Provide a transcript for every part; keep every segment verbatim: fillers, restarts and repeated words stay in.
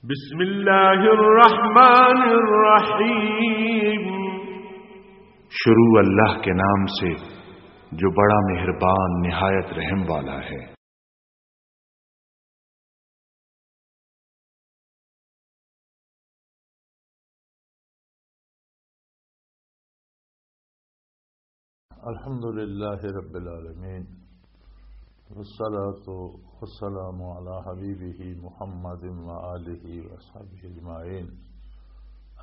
بسم اللہ الرحمن الرحیم۔ شروع اللہ کے نام سے جو بڑا مہربان نہایت رحم والا ہے۔ الحمد لله رب العالمين، والصلاة والسلام على حبيبه محمد وآله وأصحابه أجمعين.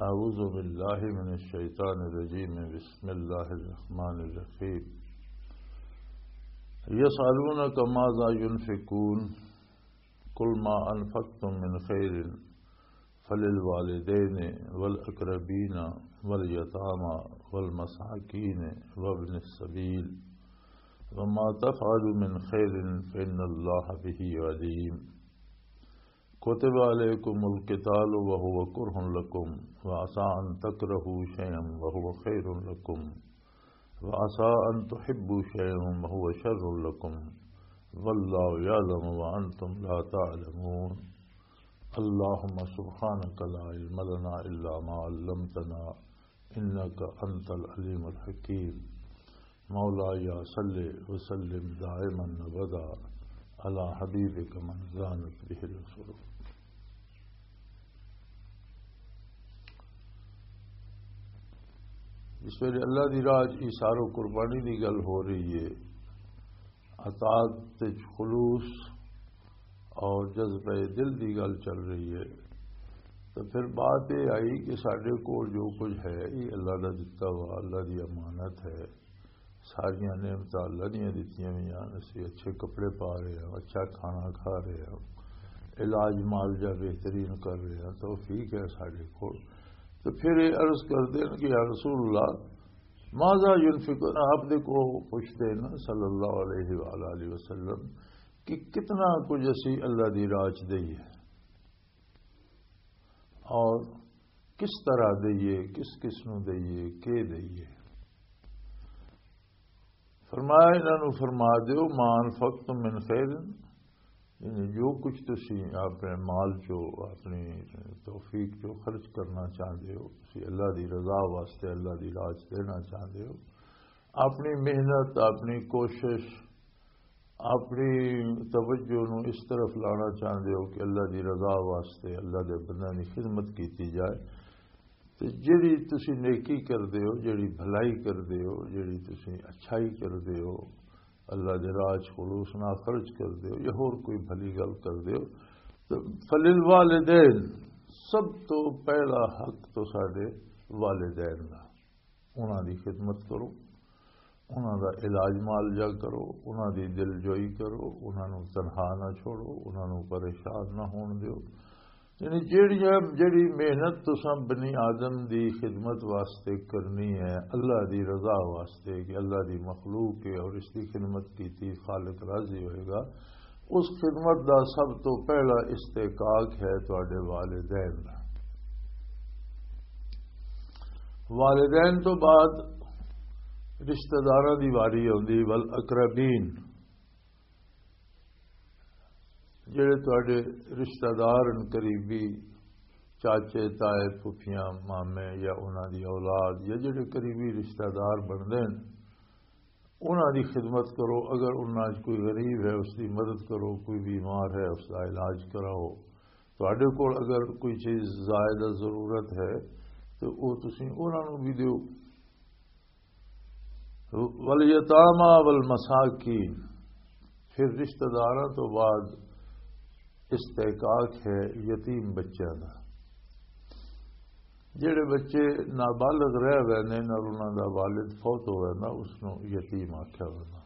أعوذ بالله من الشيطان الرجيم. بسم الله الرحمن الرحيم. يسألونك ماذا ينفقون، قل ما أنفقتم من خير فللوالدين والأقربين واليتامى والمساكين وابن السبيل، وما تفعلوا من خير فإن الله به عليم. كتب عليكم القتال وهو كره لكم، وعسى أن تكرهوا شيئا وهو خير لكم، وعسى أن تحبوا شيئا وهو شر لكم، والله يعلم وأنتم لا تعلمون. اللهم سبحانك لا علم لنا إلا ما علمتنا، إنك أنت العليم الحكيم. مولاي صل وسلم دائما أبدا على حبيبك من زانت به العصور. اس ویلے اللہ دی راہ چ ایثار و قربانی دی گل ہو رہی ہے، اطاعت وچ خلوص اور جذبہ دل دی گل چل رہی ہے، تو پھر بات یہ آئی کہ ساڈے کول جو کچھ ہے، یہ اللہ دا دتا ہوا، اللہ دی امانت ہے۔ ساریاں نعمتاں اللہ دیاں دتیاں ہوئی ہیں۔ اسی اچھے کپڑے پا رہے ہیں، اچھا کھانا کھا رہے ہیں، علاج معالجہ بہترین کر رہے ہیں، توفیق ہے ساڈے کول۔ تو پھر یہ عرض کردے ہیں کہ یا رسول اللہ، ماذا ينفقون؟ آپ دے کو پوچھتے ہیں نا، صلی اللہ علیہ وآلہ وسلم، کہ کتنا کچھ اسی اللہ دی راہ چ دئیے اور کس طرح دئیے، کس کس نو دئیے، کے دئیے۔ فرمایا، انہاں نو فرما دیو، ما انفقتم من خیر، یعنی جو کچھ تسی اپنے مال چو، اپنی توفیق چو خرچ کرنا چاہندے ہو، تسی اللہ دی رضا واسطے، اللہ دی راہ چ دینا چاہندے ہو، اپنی محنت، اپنی کوشش، اپنی توجہ نو اس طرف لانا چاہندے ہو کہ اللہ دی رضا واسطے، اللہ دے بندیاں دی خدمت کیتی جائے، تے جڑی تسی نیکی کردے ہو، جڑی بھلائی کردے ہو، جڑی تسی اچھائی کردے ہو، اللہ دے راہ چ خلوص نال خرچ کردے ہو یا ہور کوئی بھلی گل کردے ہو، تے فللوالدین، سب تو پہلا حق تو ساڈے والدین دا، انہاں دی خدمت کرو، انہاں دا علاج معالجہ کرو، انہاں دی دلجوئی کرو، انہاں نوں تنہا نہ چھوڑو، انہاں نوں پریشان نہ ہون دیو۔ یعنی جیڑیاں، جیڑی محنت تساں بنی آدم دی خدمت واسطے کرنی ہے، اللہ دی رضا واسطے، کہ اللہ دی مخلوق ہے اور اس دی خدمت کیتی، خالق راضی ہوئے گا، اس خدمت دا سب تو پہلا استحقاق ہے تواڈے والدین دا۔ والدین تو بعد رشتہ داراں دی واری آندی، والاقربین، جڑے تواڈے رشتہ دار ہن قریبی، چاچے، تائے، پھپھیاں، مامے یا انہاں دی اولاد یا جڑے قریبی رشتہ دار بندے ہن، انہاں دی خدمت کرو۔ اگر انہاں وچ کوئی غریب ہے، اس دی مدد کرو، کوئی بیمار ہے، اس دا علاج کراؤ۔ تواڈے کول اگر کوئی چیز زائدہ ضرورت ہے، تو او تسی انہاں نوں بھی دیو۔ والیتاما والمساکین، پھر رشتہ داراں تو بعد استحقاق ہے یتیم بچیاں دا۔ جڑے بچے نابالغ رہ ویندے نے اور انہاں دا والد فوت ہو ویندا، اس نوں یتیم آکھیا ویندا۔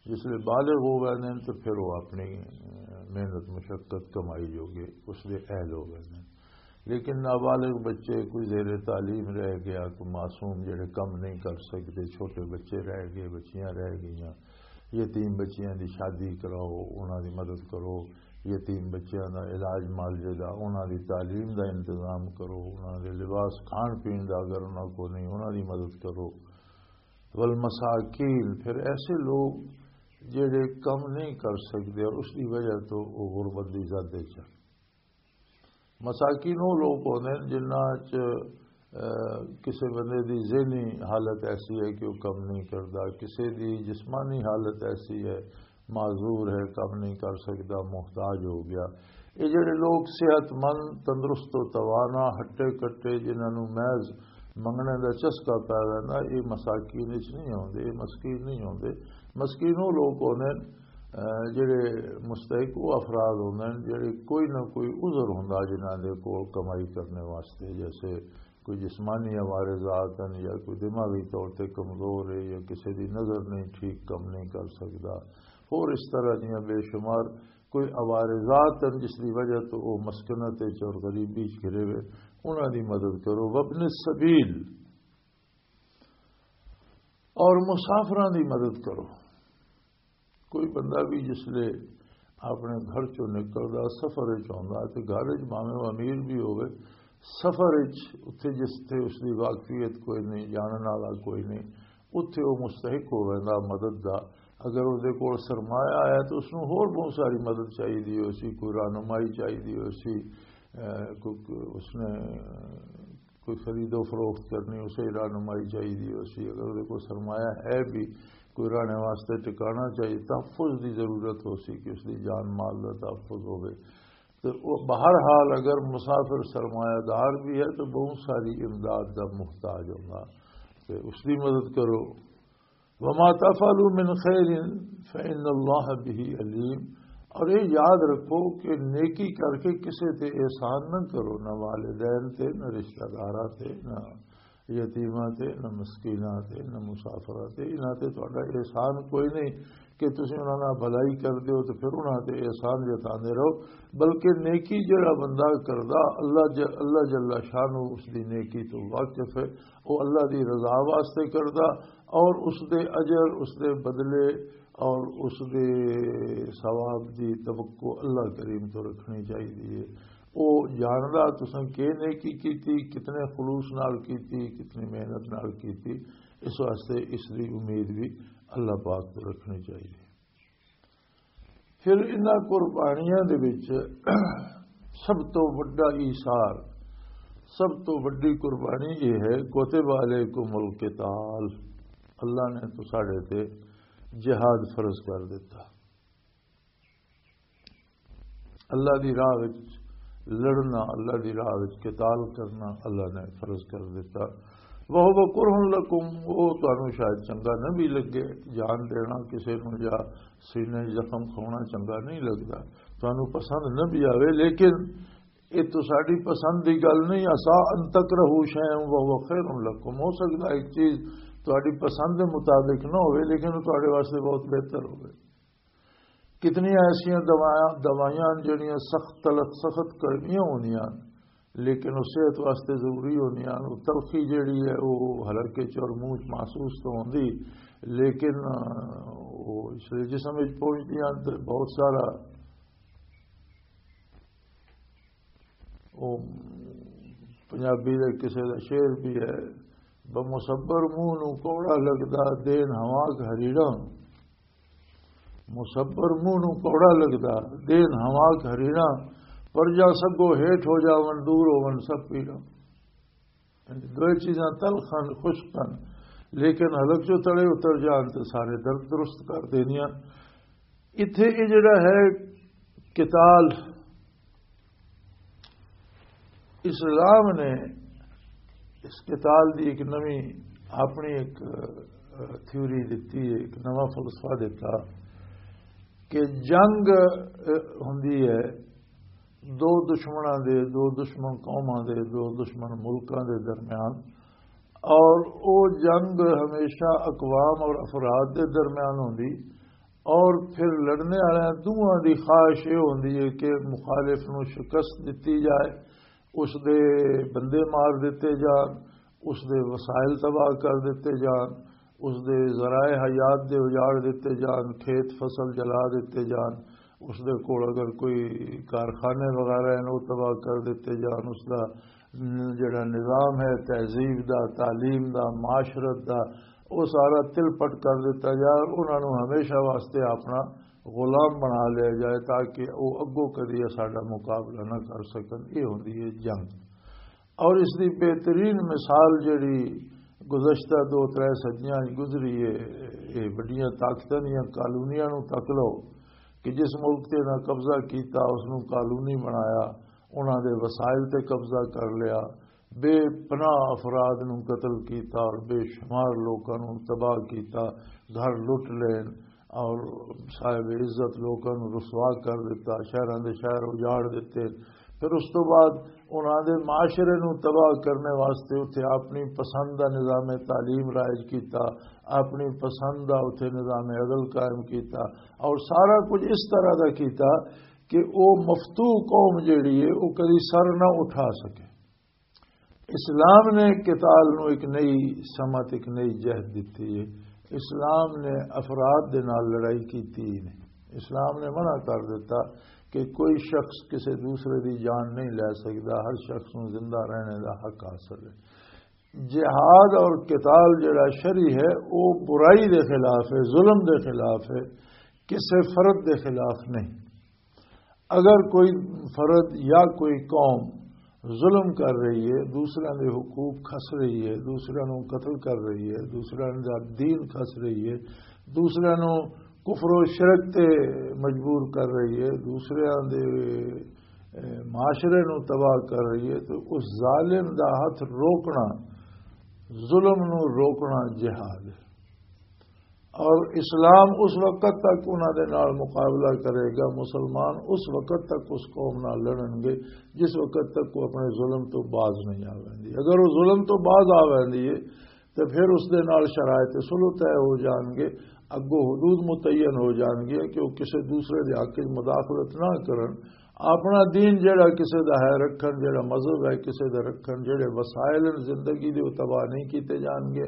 جس لئے بالغ ہو ویندے نے تو پھر وہ اپنی، اہ، محنت، مشقت، کمائی جو گے اس دے اہل ہو ویندے نے۔ لیکن نابالغ بچے، کوئی زیر تعلیم رہ گیا، کوئی معصوم جڑے کم نہیں کر سکتے، چھوٹے بچے رہ گئے، بچیاں رہ گئیاں، یتیم بچیاں دی شادی کراؤ، انہاں دی مدد کرو، یتیم بچیاں دا علاج معالجے دا، انہاں دی تعلیم دا انتظام کرو، انہاں دے لباس، کھان پین دا اگر انہاں کو نہیں، انہاں دی مدد کرو۔ والمساکین، پھر ایسے لوگ جڑے کم نہیں کر سکتے اور اس دی وجہ تو وہ غربت دی زد وچ ہن۔ مساکین وہ لوگ ہوندے نے جنہاں چ، اہ، کسے بندے دی ذہنی حالت ایسی ہے کہ وہ کم نہیں کردا، کسے دی جسمانی حالت ایسی ہے، معذور ہے، کم نہیں کر سکدا، محتاج ہو گیا۔ یہ جڑے لوگ صحت مند، تندرست و توانا، ہٹے کٹے، جنہاں نوں محض منگنے دا چسکا پی ویندا، یہ مساکین وچ نہیں ہوندے، یہ مسکین نہیں ہوندے۔ مسکین وہ لوگ ہوندے نے، اہ، جڑے مستحق وہ افراد ہوندے نے، جڑے کوئی نہ کوئی عذر ہوندا جنہاں دے کول کمائی کرنے واسطے، جیسے کوئی جسمانی عوارضات ہیں یا کوئی دماغی طور تے کمزور ہے یا کسی دی نظر نہیں ٹھیک کم نہیں کر سکدا، اور اس طرح دیاں بے شمار کوئی عوارضات ہیں جس دی وجہ تو وہ مسکنت وچ اور غریبی وچ گھرے ہوئے، انہاں دی مدد کرو۔ وابن السبیل، اور مسافراں دی مدد کرو۔ کوئی بندہ بھی جس لے اپنے گھر چوں نکلدا، سفر وچ ہوندا تے گھر وچ بھاویں او امیر بھی ہووے، سفر وچ اتھے جس تے اس دی واقفیت کوئی نہیں، جانن والا کوئی نہیں، اتھے او مستحق ہو ویندا مدد دا۔ اگر اودے کول سرمایہ ہے تو اس نوں ہور بہت ساری مدد چاہیے ہو سی، کوئی رہنمائی چاہیے ہو سی، اے، کوئی، کوئی اس نے کوئی خرید و فروخت کرنی، اسے رہنمائی چاہیے ہو سی۔ اگر اودے کول سرمایہ ہے بھی، کوئی رہنے واسطے ٹکانا چاہیے، تحفظ دی ضرورت ہو سی کہ اس دی جان مال دا تحفظ ہوے۔ تو وہ بہرحال اگر مسافر سرمایہ دار بھی ہے تو بہت ساری امداد دا محتاج ہوگا، تو اس دی مدد کرو۔ وما تفعلوا من خیر فإن اللہ بہ علیم۔ اور یہ یاد رکھو کہ نیکی کر کے کسے تے احسان نہ کرو، نہ والدین تے، نہ رشتہ داراں تے، نہ یتیماں تے، نہ مسکیناں تے، نہ مسافراں تے، انہاں تے تہاڈا احسان کوئی نہیں کہ تسی انہاں نال بھلائی کر دیو تے پھر انہاں تے احسان جتاندے رہو، بلکہ نیکی جڑا بندہ کردا، اللہ ج-، اللہ جل شانہ اس دی نیکی تو واقف ہے، وہ اللہ دی رضا واسطے کردا، اور اس دے اجر، اس دے بدلے اور اس دے ثواب دی توقع اللہ کریم تو رکھنی چاہیے۔ وہ جاندا تساں کی نیکی کیتی، کتنے خلوص نال کیتی، کتنی محنت نال کیتی، اس واسطے اس دی امید بھی اللہ پاک تو رکھنی چاہیے۔ پھر انہاں قربانیاں دے وچ سب تو وڈا ایثار، سب تو وڈی قربانی یہ ہے، کتب علیکم القتال، اللہ نے تو ساڈے تے جہاد فرض کر دیتا۔ اللہ دی راہ وچ لڑنا، اللہ دی راہ وچ قتال کرنا اللہ نے فرض کر دیتا۔ وَهُوَ كُرْهٌ لَكُمْ، وہ تانوں شاید چنگا نہ بھی لگے، جان دینا کسے نوں یا سینے زخم کھونا چنگا نہیں لگدا، تانوں پسند نہ بھی آوے، لیکن یہ تو ساڈی پسند دی گل نہیں۔ عسیٰ ان تکرہوا شیئا وہو خیر لکم، ہو سکدا ایک چیز تہاڈی پسند دے مطابق نہ ہوئے لیکن وہ تہاڈے واسطے بہت بہتر ہوئے۔ کتنی ایسیاں دوائیاں، دوائیاں جڑیاں سخت تلخ، سخت کڑویاں ہوندیاں، لیکن وہ صحت واسطے ضروری ہوندیاں۔ وہ تلخی جڑی ہے، وہ حلقے چ اور منہ چ محسوس تو ہوندی، لیکن، آ، وہ اس لئے جسم وچ پہنچدیاں تے بہت سارا، وہ پنجابی دے کسے دا شعر بھی ہے، "بمصبر منہ نو کوڑا لگدا، دین ہوا ہریڑا۔" مصبر منہ نوں کوڑا لگدا، دین ہوا گھرینا، پر جا سگو ہیٹھ ہو جاون، دور ہون سب پیڑا۔ یعنی دوئے چیزاں تلخ ہن، خشک ہن، لیکن حلق جو تڑے اتر جان تے سارے درد درست کر دینیاں۔ اتھے یہ جڑا ہے قتال، اسلام نے اس قتال دی ایک نویں اپنی ایک، اہ، تھیوری دتی ہے، ایک نواں فلسفہ دتا کہ جنگ، اہ، ہوندی ہے دو دشمناں دے، دو دشمن قوماں دے، دو دشمن ملکاں دے درمیان، اور او جنگ ہمیشہ اقوام اور افراد دے درمیان ہوندی، اور پھر لڑنے والے دوواں دی خواہش یہ ہوندی ہے کہ مخالف نو شکست دتی جائے، اس دے بندے مار دتے جان، اس دے وسائل تباہ کر دتے جان، اس دے ذرائع حیات دے اجاڑ دتے جان، کھیت فصل جلا دتے جان، اس دے کول اگر کوئی کارخانے وغیرہ ہیں، وہ تباہ کر دتے جان، اس دا ن-، جڑا نظام ہے تہذیب دا، تعلیم دا، معاشرت دا، وہ سارا تل پٹ کر دتا جائے اور انہاں نوں ہمیشہ واسطے اپنا غلام بنا لیا جائے، تاکہ وہ اگوں کدی ساڈا مقابلہ نہ کر سکن۔ یہ ہوندی ہے جنگ۔ اور اس دی بہترین مثال جڑی گزشتہ دو ترے صدیاں وچ گزری ہے، یہ بڑیاں طاقتاں دیاں کالونیاں نوں تک لو کہ جس ملک تے انہاں قبضہ کیتا، اس نوں کالونی بنایا، انہاں دے وسائل تے قبضہ کر لیا، بے پناہ افراد نوں قتل کیتا اور بے شمار لوکاں نوں تباہ کیتا، گھر لٹ لین اور صاحب عزت لوکاں نوں رسوا کر دتا، شہراں دے شہر اجاڑ دتے۔ پھر اس تو بعد انہاں دے معاشرے نوں تباہ کرنے واسطے اتھے اپنی پسند دا نظام تعلیم رائج کیتا، اپنی پسند دا اتھے نظام عدل قائم کیتا، اور سارا کچھ اس طرح دا کیتا کہ او مفتوح قوم جیڑی ہے، او کدی سر نہ اٹھا سکے۔ اسلام نے قتال نو ایک نئی سمت، ایک نئی جہت دتی ہے۔ اسلام نے افراد دے نال لڑائی کیتی ہی نہیں۔ اسلام نے منع کر دیتا کہ کوئی شخص کسی دوسرے دی جان نہیں لے سکتا، ہر شخص نو زندہ رہنے دا حق حاصل ہے۔ جہاد اور قتال جڑا شرعی ہے، وہ برائی دے خلاف ہے، ظلم دے خلاف ہے، کسی فرد دے خلاف نہیں۔ اگر کوئی فرد یا کوئی قوم ظلم کر رہی ہے، دوسرے دے حقوق کھس رہی ہے، دوسرے نو قتل کر رہی ہے، دوسرے دا دین کھس رہی ہے، دوسرے نو کفر و شرک تے مجبور کر رہی ہے، دوسرے دے، اے، معاشرے نو تباہ کر رہی ہے، تو اس ظالم دا ہاتھ روکنا، ظلم نو روکنا جہاد ہے۔ اور اسلام اس وقت تک انہاں دے نال مقابلہ کرے گا، مسلمان اس وقت تک اس قوم نال لڑن گے جس وقت تک وہ اپنے ظلم تو باز نہیں آ ویندی۔ اگر وہ ظلم تو باز آ ویندی ہے تو پھر اس دے نال شرائط صلح طے ہو جان گے، اگوں حدود متعین ہو جان گے کہ وہ کسی دوسرے دے حق وچ مداخلت نہ کرن، اپنا دین جڑا کسے دا ہے رکھن، جڑا مذہب ہے کسے دا رکھن، جڑے وسائل ہیں زندگی دے، وہ تباہ نہیں کیتے جان گے۔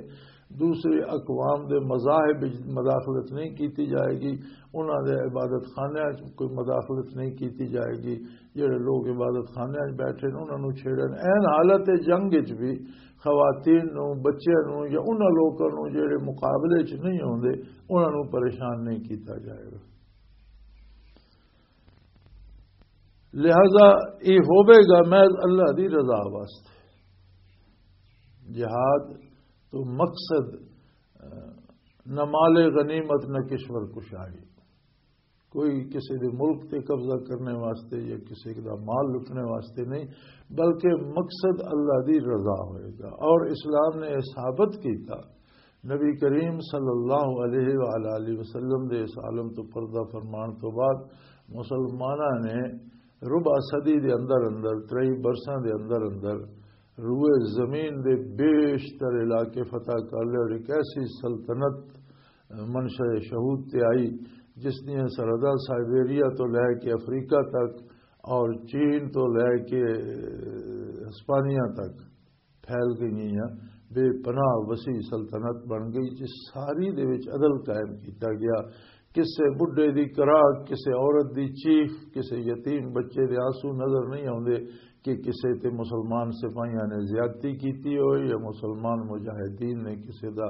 دوسرے اقوام دے مذاہب وچ مداخلت نہیں کیتی جائے گی، انہاں دے عبادت خانیاں وچ کوئی مداخلت نہیں کیتی جائے گی۔ جڑے لوگ عبادت خانیاں وچ بیٹھے نے، انہاں نوں چھیڑن۔ این حالت جنگ وچ بھی خواتین نوں، بچیاں نوں یا انہاں لوکاں نوں جڑے مقابلے وچ نہیں ہوندے، انہاں نوں پریشان نہیں کیتا جائے گا۔ لہذا یہ ہوے گا محض اللہ دی رضا واسطے۔ جہاد تو مقصد، اہ، نہ مال غنیمت نہ کشور کشائی، کوئی کسی دے ملک تے قبضہ کرنے واسطے یا کسی دا مال لٹنے واسطے نہیں، بلکہ مقصد اللہ دی رضا ہوئے گا۔ اور اسلام نے یہ ثابت کیتا، نبی کریم صلی اللہ علیہ وآلہ وسلم دے اس عالم تو پردہ فرمان تو بعد مسلماناں نے ربع صدی دے اندر اندر، ترئی برساں دے اندر اندر روئے زمین دے بیشتر علاقے فتح کر لے اور ایک ایسی سلطنت منشأ شہود تے آئی جس دیاں سرحداں سائبیریا تو لے کے افریقہ تک اور چین تو لے کے ہسپانیہ تک پھیل گئی ہیں، بے پناہ وسیع سلطنت بن گئی، جس ساری دے وچ عدل قائم کیتا گیا۔ کسے بڈھے دی کراہ، کسے عورت دی چیخ، کسے یتیم بچے دے آنسو نظر نہیں آوندے کہ کسے تے مسلمان سپاہیاں نے زیادتی کیتی ہوئے یا مسلمان مجاہدین نے کسے دا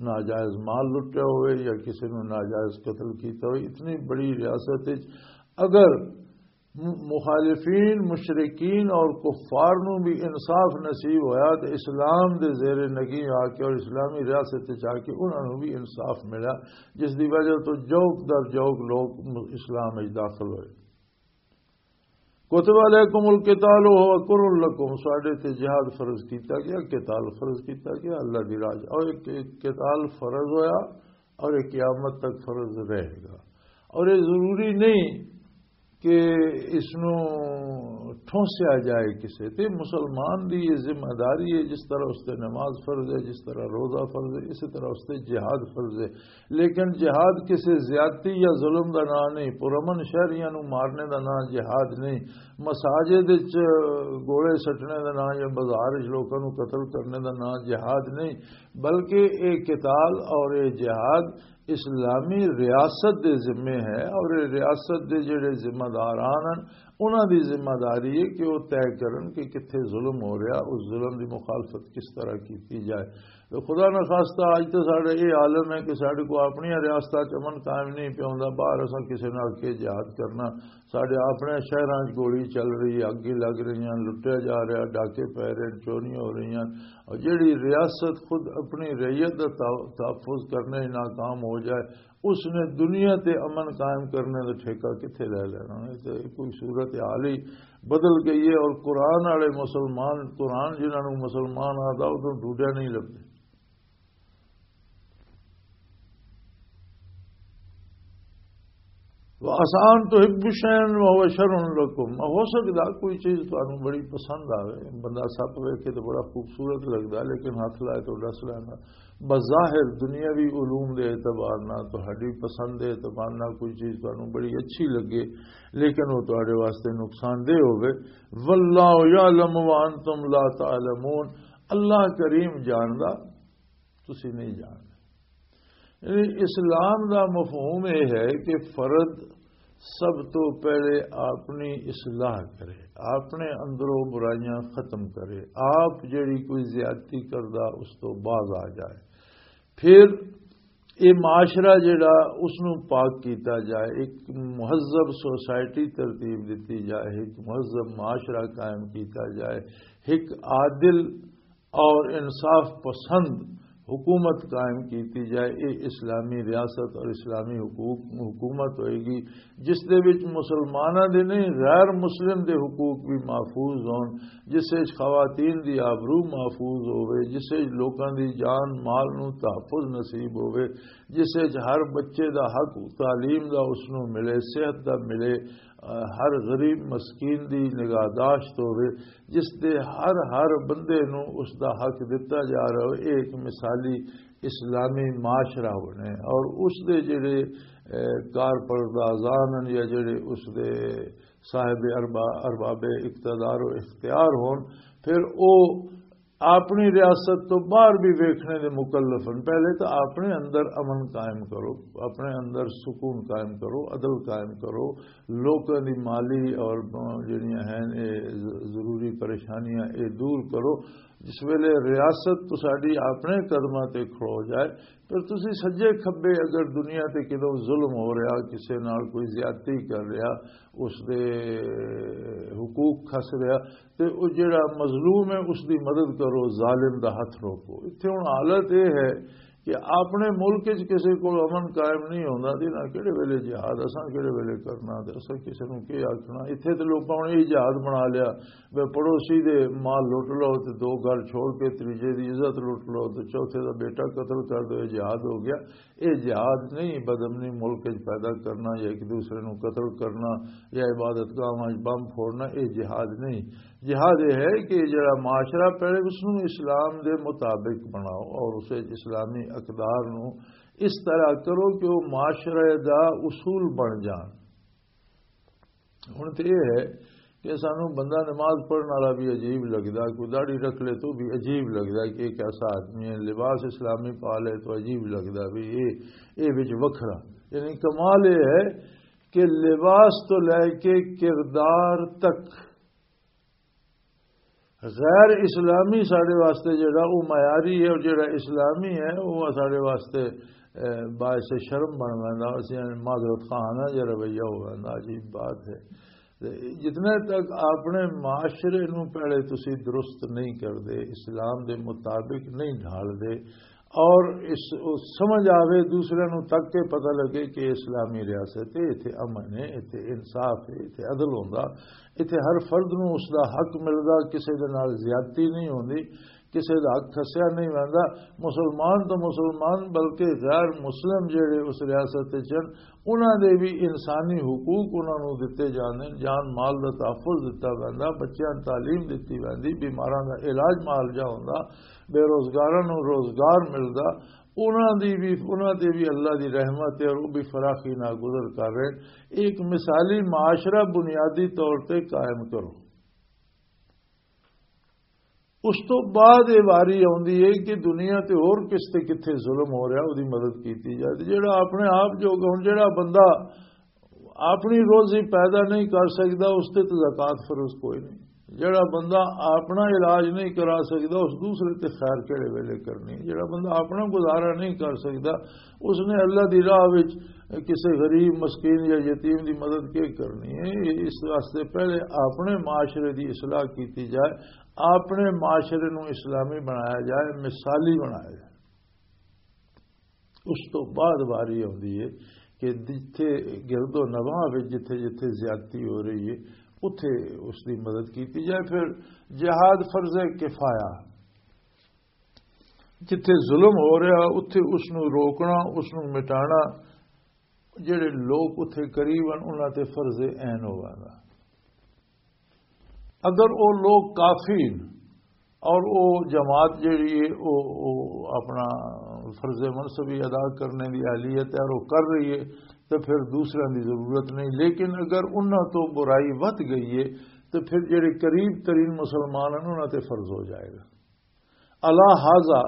ناجائز مال لٹیا ہوئے یا کسے نو ناجائز قتل کیتا ہوئے۔ اتنی بڑی ریاست وچ اگر م-، مخالفین، مشرکین اور کفار نو بھی انصاف نصیب ہویا تے اسلام دے زیر نگی آ کے اور اسلامی ریاست وچ آ کے انہاں نو بھی انصاف ملا، جس دی وجہ تو جوک در جوک لوگ م-، اسلام وچ داخل ہوئے۔ کتب علیکم القتال وهو کرہ لکم، ساڈے تے جہاد فرض کیتا گیا، قتال فرض کیتا گیا اللہ دی راہ چ۔ اور ایک، ایک قتال فرض ہویا اور یہ قیامت تک فرض رہے گا۔ اور یہ ضروری نہیں کہ اس نو ٹھونسیا جائے کسے تے۔ مسلمان دی یہ ذمہ داری ہے، جس طرح اس تے نماز فرض ہے، جس طرح روزہ فرض ہے، اسی طرح اس تے جہاد فرض ہے۔ لیکن جہاد کسے زیادتی یا ظلم دا نام نہیں، پرامن شہریاں نو مارنے دا نام جہاد نہیں، مساجد وچ گوڑے سٹنے دا نام یا بازار وچ لوکاں نو قتل کرنے دا نام جہاد نہیں، بلکہ یہ قتال اور یہ جہاد اسلامی ریاست دے ذمے ہے، اور یہ ریاست دے جڑے ذمہ داران ہیں، انہاں دی ذمہ داری ہے کہ وہ طے کرن کہ کتھے ظلم ہو رہا، اس ظلم دی مخالفت کس طرح کیتی جائے۔ تو خدا نخواستہ اج تو ساڈے یہ عالم ہے کہ ساڈے کو اپنی ریاستاں چ امن قائم نہیں پیا ہوندا، باہر اساں کسے نال کے جہاد کرنا، ساڈے اپنے شہراں چ گولی چل رہی ہے، اگی لگ رہی ہیں، لٹیا جا رہا، ڈاکے پے رہے ہیں، چوریاں ہو رہی ہیں، اور جیڑی ریاست خود اپنی رعیت دا تح-، تحفظ کرنے ناکام ہو جائے، اس نے دنیا تے امن قائم کرنے دا ٹھیکہ کتھے لے لینا؟ یہ تے کوئی صورت حال ہی بدل گئی ہے۔ اور قرآن والے مسلمان، قرآن جنہاں نوں مسلمان آدا، ادھر ڈوڈیا نہیں لبدے۔ وَعَسَىٰ أَن تُحِبُّوا شَيْئًا وَهُوَ شَرٌّ لَّكُمْ، ہو سکدا کوئی چیز تانوں بڑی پسند آوے، بندہ سپ ویکھے تے بڑا خوبصورت لگدا، لیکن ہاتھ لائے تو ڈس لیندا۔ بظاہر دنیاوی علوم دے اعتبار نال، تہاڈی پسند دے اعتبار نال کوئی چیز تانوں بڑی اچھی لگے، لیکن وہ تہاڈے واسطے نقصان دہ ہوے۔ وَاللَّهُ يَعْلَمُ وَأَنْتُمْ لَا تَعْلَمُونَ، اللہ کریم جاندا، تسی نہیں جاندا۔ یعنی اسلام دا مفہوم یہ ہے کہ فرد سب تو پہلے اپنی اصلاح کرے، اپنے اندروں برائیاں ختم کرے، آپ جڑی کوئی زیادتی کردا اس تو باز آ جائے۔ پھر یہ معاشرہ جڑا اس نو پاک کیتا جائے، ایک مہذب سوسائٹی ترتیب دتی جائے، ایک مہذب معاشرہ قائم کیتا جائے، ایک عادل اور انصاف پسند حکومت قائم کیتی جائے۔ یہ اسلامی ریاست اور اسلامی حکومت ہوئے گی، جس دے وچ مسلماناں دے نہیں، غیر مسلم دے حقوق بھی محفوظ ہون، جس وچ خواتین دی آبرو محفوظ ہوئے، جس وچ لوکاں دی جان مال نو تحفظ نصیب ہوئے، جس وچ ہر بچے دا حق تعلیم دا اس نو ملے، صحت دا ملے، ہر غریب مسکین دی نگہداشت ہوئے، جس دے ہر، ہر بندے نو اس دا حق دتا جا رہا ہو۔ یہ ایک مثالی اسلامی معاشرہ بنے اور اس دے جڑے، اے، کارپردازان ہن یا جڑے اس دے صاحب اربا-، ارباب اقتدار و اختیار ہون، پھر او اپنی ریاست تو باہر بھی ویکھنے دے مکلف ہن۔ پہلے تو اپنے اندر امن قائم کرو، اپنے اندر سکون قائم کرو، عدل قائم کرو، لوکاں دی مالی اور، آ، جڑیاں ہیں، اے ض-، ضروری پریشانیاں اے دور کرو۔ جس ویلے ریاست تو ساڈی اپنے قدماں تے کھڑو جائے، پھر تسی سجے کھبے اگر دنیا تے کدوں ظلم ہو رہا، کسے نال کوئی زیادتی کر رہا، اس دے حقوق کھس رہا، تے او جڑا مظلوم ہے، اس دی مدد کرو، ظالم دا ہتھ روکو۔ اتھے ہن حالت اے ہے کہ اپنے ملک وچ کسے کول امن قائم نہیں ہوندا، تے انہاں کہڑے ویلے جہاد، اساں کہڑے ویلے کرنا، تے اساں کسے نوں کی آکھنا؟ اتھے تے لوکاں ہن یہ جہاد بنا لیا، بے پڑوسی دے مال لٹ لو، تے دو گھر چھوڑ کے تیجے دی عزت لٹ لو، تے چوتھے دا بیٹا قتل کر دو، یہ جہاد ہو گیا۔ یہ جہاد نہیں، بدامنی ملک وچ پیدا کرنا یا ایک دوسرے نوں قتل کرنا یا عبادت گاہاں وچ بم پھوڑنا، یہ جہاد نہیں۔ جہاد یہ ہے کہ جڑا معاشرہ پہلے اس نوں اسلام دے مطابق بناؤ اور اسے اسلامی اقدار نوں اس طرح کرو کہ وہ معاشرے دا اصول بن جان۔ ہن تے یہ ہے کہ سانوں بندہ نماز پڑھن والا بھی عجیب لگدا، کوئی داڑھی رکھ لے تو بھی عجیب لگدا کہ ایک ایسا آدمی ہے، لباس اسلامی پا لے تو عجیب لگدا بھی یہ، یہ وچ وکھرا۔ یعنی کمال یہ ہے کہ لباس تو لے کے کردار تک غیر اسلامی ساڈے واسطے جڑا او معیاری ہے، اور جڑا اسلامی ہے او ساڈے واسطے، اے، باعث شرم بن ویندا۔ اسی معذرت خواہ ہاں، یہ رویہ ہو ویندا، عجیب بات ہے۔ تے جتنے تک اپنے معاشرے نو پہلے تسی درست نہیں کردے، اسلام دے مطابق نہیں ڈھال دے، اور اس، اس سمجھ آوے، دوسرے نو تک کے پتہ لگے کہ اسلامی ریاست ہے، ایتھے امن ہے، ایتھے انصاف ہے، ایتھے عدل ہوندا، ایتھے ہر فرد نو اس دا حق ملدا، کسے دے نال زیادتی نہیں ہوندی، کسے دا حق کھسیا نہیں ویندا۔ مسلمان تو مسلمان، بلکہ غیر مسلم جڑے اس ریاست وچ ہن، انہاں دے بھی انسانی حقوق انہاں نوں دتے جاندے نے، جان مال دا تحفظ دتا ویندا، بچیاں نوں تعلیم دتی ویندی، بیماراں دا علاج معالجہ ہوندا، بے روزگاراں نوں روزگار ملدا، انہاں دی بھی، انہاں تے بھی اللہ دی رحمت ہے اور وہ بھی فراخی نال گزر کر رہے ہیں۔ ایک مثالی معاشرہ بنیادی طور تے قائم کرو۔ اس تو بعد یہ واری آندی ہے کہ دنیا تے ہور کس تے کتھے ظلم ہو رہا، اودی مدد کیتی جائے۔ تے جڑا اپنے آپ جو، ہن جڑا بندہ اپنی روزی پیدا نہیں کر سکدا، اس تے تے زکوٰۃ فرض کوئی نہیں۔ جڑا بندہ اپنا علاج نہیں کرا سکدا، اس دوسرے تے خیر کہڑے ویلے کرنی؟ جڑا بندہ اپنا گزارا نہیں کر سکدا، اس نے اللہ دی راہ وچ کسے غریب، مسکین یا یتیم دی مدد کی کرنی ہے؟ اس واسطے پہلے اپنے معاشرے دی اصلاح کیتی جائے، اپنے معاشرے نو اسلامی بنایا جائے، مثالی بنایا جائے۔ اس تو بعد واری آتی ہے کہ جتھے گرد و نواح وچ جتھے جتھے زیادتی ہو رہی ہے، اتھے اس دی مدد کیتی جائے۔ پھر جہاد فرض کفایہ، جتھے ظلم ہو رہا، اتھے اس نو روکنا، اس نو مٹانا، جڑے لوگ اتھے قریب ہیں، انہاں تے فرض عین ہوگا۔ اگر وہ لوگ کافی ہیں اور وہ جماعت جڑی ہے، وہ، وہ اپنا فرض منصبی ادا کرنے کی اہلیت ہے اور وہ کر رہی ہے، تو پھر دوسروں کی ضرورت نہیں۔ لیکن اگر انہاں تو برائی ودھ گئی ہے، تو پھر جڑے قریب ترین مسلمان ہیں، انہاں تے فرض ہو جائے گا۔ اللہ حاضہ،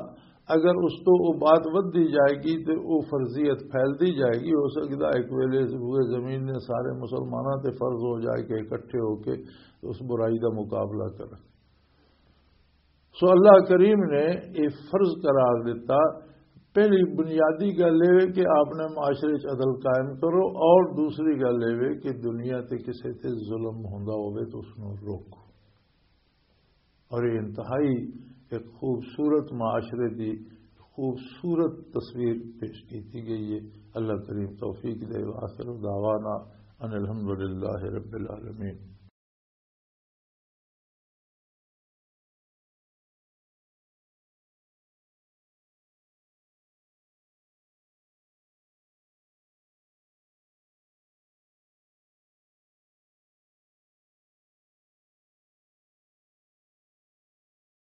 اگر اس تو وہ بات ودھدی جائے گی تو وہ فرضیت پھیلدی جائے گی۔ ہو سکتا ہے ایک ویلے روئے زمین نے سارے مسلمانوں تے فرض ہو جائے کہ اکٹھے ہو کے اس برائی دا مقابلہ کرن۔ سو اللہ کریم نے یہ فرض قرار دیتا۔ پہلی بنیادی گل یہ کہ آپ نے معاشرے چ عدل قائم کرو، اور دوسری گل یہ کہ دنیا تے کسے تے ظلم ہوندا ہوئے تو اس نو روکو۔ اور یہ انتہائی ایک خوبصورت معاشرے دی خوبصورت تصویر پیش کیتی گئی ہے۔ اللہ کریم توفیق دے۔ وآخر دعوانا ان الحمدللہ رب العالمین۔